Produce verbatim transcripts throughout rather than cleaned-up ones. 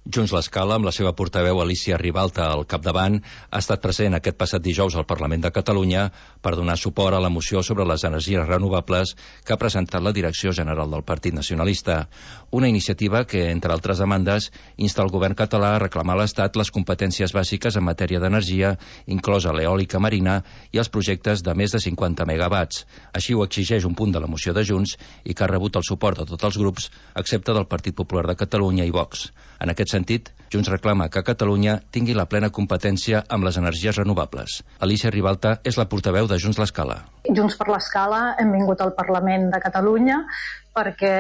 Junts l'Escala, amb la seva portaveu Alicia Ribalta al capdavant, ha estat present aquest passat dijous al Parlament de Catalunya per donar suport a la moció sobre les energies renovables que ha presentat la Direcció General del Partit Nacionalista. Una iniciativa que, entre altres demandes, insta el govern català a reclamar a l'Estat les competències bàsiques en matèria d'energia, inclosa l'eòlica marina i els projectes de més de cinquanta megawatts. Així ho exigeix un punt de la moció de Junts i que ha rebut el suport de tots els grups, excepte del Partit Popular de Catalunya i Vox. En aquest sentit, Junts reclama que Catalunya tingui la plena competència amb les energies renovables. Alicia Ribalta és la portaveu de Junts l'Escala. Junts per l'Escala hem vingut al Parlament de Catalunya perquè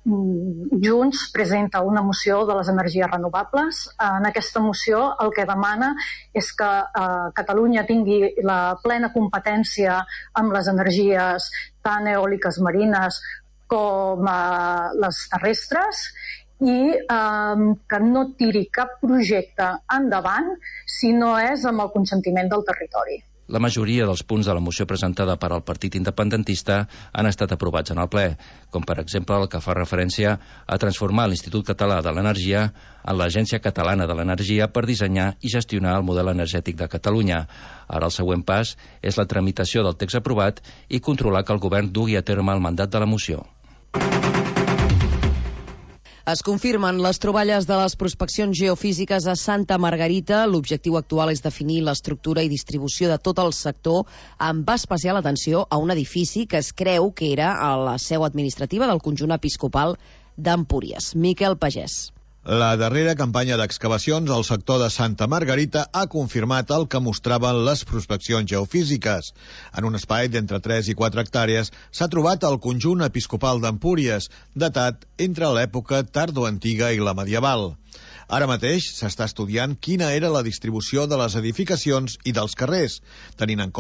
Junts presenta una moció de les energies renovables. En aquesta moció el que demana és que eh, Catalunya tingui la plena competència amb les energies tant eòliques marines com eh, les terrestres i eh, que no tiri cap projecte endavant si no és amb el consentiment del territori. La majoria dels punts de la moció presentada per al Partit Independentista han estat aprovats en el ple, com per exemple el que fa referència a transformar l'Institut Català de l'Energia en l'Agència Catalana de l'Energia per dissenyar i gestionar el model energètic de Catalunya. Ara el següent pas és la tramitació del text aprovat i controlar que el govern dugui a terme el mandat de la moció. Es confirmen les troballes de les prospeccions geofísiques a Santa Margarita. L'objectiu actual és definir l'estructura i distribució de tot el sector amb especial atenció a un edifici que es creu que era a la seu administrativa del conjunt episcopal d'Empúries. Miquel Pagès. La darrera campanya d'excavacions al sector de Santa Margarita ha confirmat el que mostraven les prospeccions geofísiques. En un espai d'entre tres i quatre hectàrees s'ha trobat el conjunt episcopal d'Empúries, datat entre l'època tardoantiga i la medieval. Ara mateix s'està estudiant quina era la distribució de les edificacions i dels carrers, tenint en compte